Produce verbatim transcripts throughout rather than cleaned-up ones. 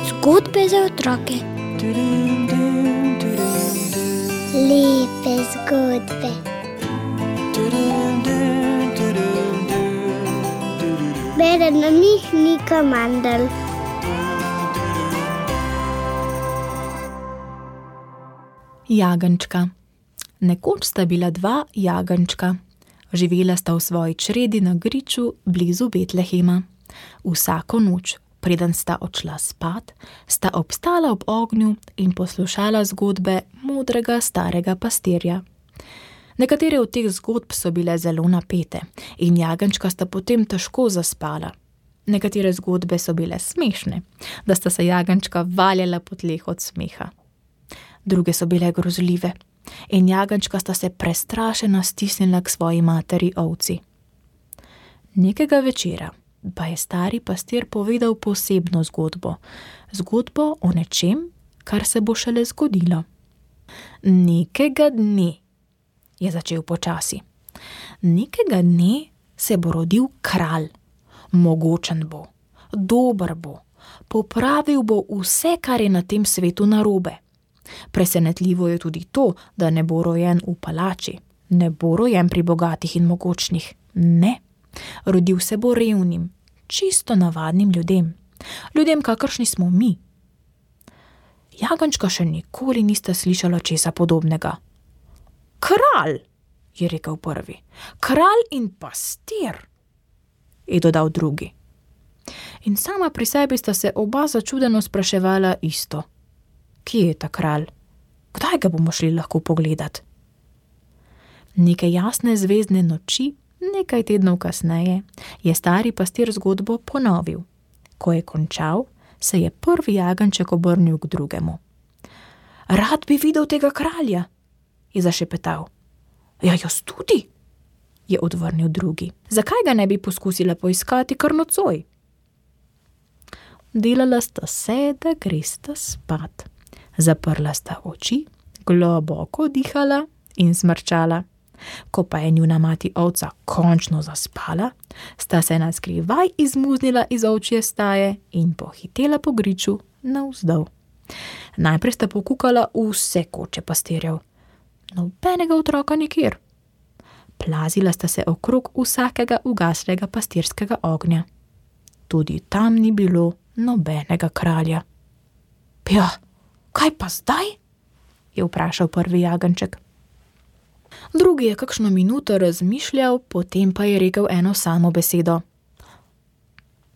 Zgodbe za otroke. Lepe zgodbe. Bere na njih Nika Mandl. Jagenjčka. Nekoč sta bila dva jagenjčka. Živela sta v svoji čredi na griču blizu Betlehema. Vsako noč, preden sta odšla spat, sta obstala ob ognju in poslušala zgodbe modrega starega pastirja. Nekatere od teh zgodb so bile zelo napete in jagenjčka sta potem težko zaspala. Nekatere zgodbe so bile smešne, da sta se jagenjčka valjala po tleh od smeha. Druge so bile grozljive in jagenjčka sta se prestrašena stisnila k svoji materi ovci. Nekega večera pa je stari pastir povedal posebno zgodbo, zgodbo o nečem, kar se bo šele zgodilo. Nekega dne, je začel počasi, nekega dne se bo rodil kralj. Mogočen bo, dober bo, popravil bo vse, kar je na tem svetu narobe. Presenetljivo je tudi to, da ne bo rojen v palači, ne bo rojen pri bogatih in mogočnih, ne. Rodil se bo revnim, čisto navadnim ljudem, ljudem, kakršni smo mi. Jagenjčka še nikoli nista slišala česa podobnega. Kralj, je rekel prvi, kralj in pastir, je dodal drugi. In sama pri sebi sta se oba začudeno spraševala isto. Kje je ta kralj? Kdaj ga bomo šli lahko pogledat? Neke jasne zvezdne noči, nekaj tednov kasneje, je stari pastir zgodbo ponovil. Ko je končal, se je prvi jagenjček obrnil k drugemu. Rad bi videl tega kralja, je zašepetal. Ja, jaz tudi, je odvrnil drugi. Zakaj ga ne bi poskusila poiskati kar nocoj? Delala sta se, da gresta spat. Zaprla sta oči, globoko dihala in smrčala. Ko pa je njuna mati ovca končno zaspala, sta se naskrivaj izmuznila iz ovčje staje in pohitela po griču navzdol. Najprej sta pokukala vse koče pastirjev. Nobenega otroka nikjer. Plazila sta se okrog vsakega ugaslega pastirskega ognja. Tudi tam ni bilo nobenega kralja. Ja, kaj pa zdaj? Je vprašal prvi jagenjček. Drugi je kakšno minuto razmišljal, potem pa je rekel eno samo besedo.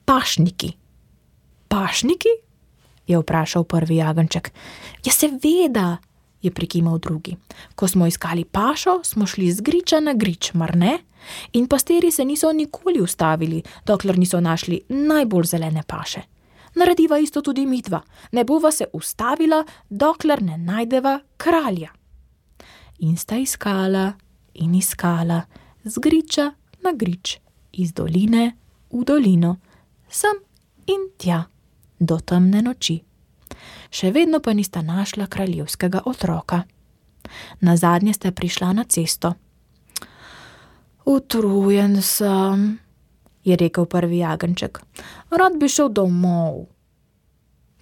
Pašniki. Pašniki? Je vprašal prvi jagenjček. Ja, seveda, je prikimal drugi. Ko smo iskali pašo, smo šli z griča na grič, mar ne? In pastirji se niso nikoli ustavili, dokler niso našli najbolj zelene paše. Narediva isto tudi midva, ne bova se ustavila, dokler ne najdeva kralja. In sta iskala in iskala, z griča na grič, iz doline v dolino, sem in tja, do temne noči. Še vedno pa nista našla kraljevskega otroka. Nazadnje sta prišla na cesto. Utrujen sem, je rekel prvi jagenjček. Rad bi šel domov.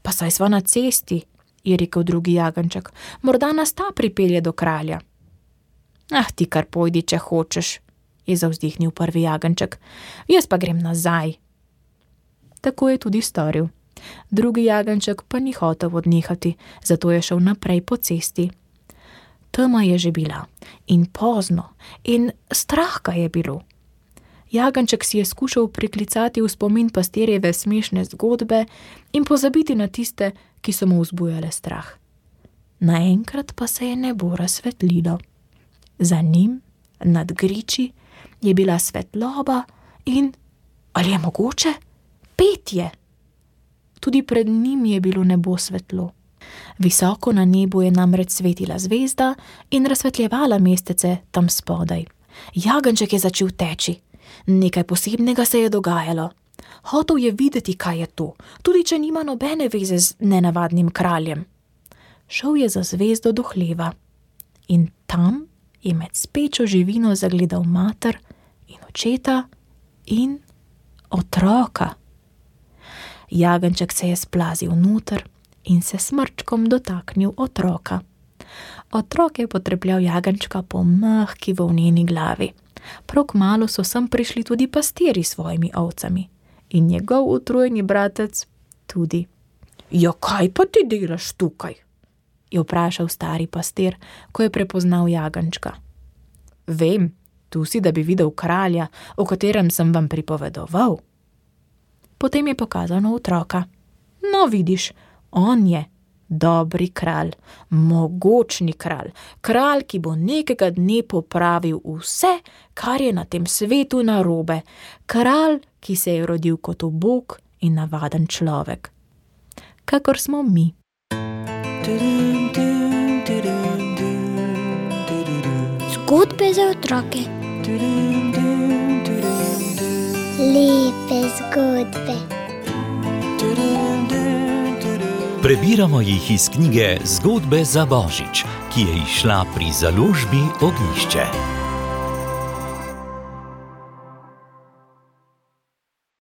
Pa saj sva na cesti, je rekel drugi jagenjček. Morda nas ta pripelje do kralja. Ah, ti kar pojdi, če hočeš, je zavzdihnil prvi jagenjček. Jaz pa grem nazaj. Tako je tudi storil. Drugi jagenjček pa ni hotel odnehati, zato je šel naprej po cesti. Tema je že bila in pozno in strah ga je bilo. Jagenjček si je skušal priklicati v spomin pastirjeve smešne zgodbe in pozabiti na tiste, ki so mu vzbujale strah. Naenkrat pa se je nebo razsvetlilo. Za njim, nad griči, je bila svetloba in, ali je mogoče, petje. Tudi pred njim je bilo nebo svetlo. Visoko na nebu je namreč svetila zvezda in razsvetljevala mestece tam spodaj. Jagenjček je začel teči. Nekaj posebnega se je dogajalo. Hotel je videti, kaj je to, tudi če nima nobene veze z nenavadnim kraljem. Šel je za zvezdo do hleva in tam je med spečo živino zagledal mater in očeta in otroka. Jagenjček se je splazil noter in se smrčkom dotaknil otroka. Otrok je potrepljal jagenjčka po mehki volneni glavi. Prav kmalu so sem prišli tudi pastirji s svojimi ovcami in njegov utrujeni bratec tudi. Ja, kaj pa ti delaš tukaj? Je vprašal stari pastir, ko je prepoznal jagenjčka. Vem, tu si, da bi videl kralja, o katerem sem vam pripovedoval. Potem je pokazal na otroka. No, vidiš, on je dobri kralj, mogočni kralj, kralj, ki bo nekega dne popravil vse, kar je na tem svetu narobe, kralj, ki se je rodil kot ubog in navaden človek, kakor smo mi. Zgodbe za otroke. Lepe zgodbe. Prebiramo jih iz knjige Zgodbe za Božič, ki je izšla pri založbi Ognjišče.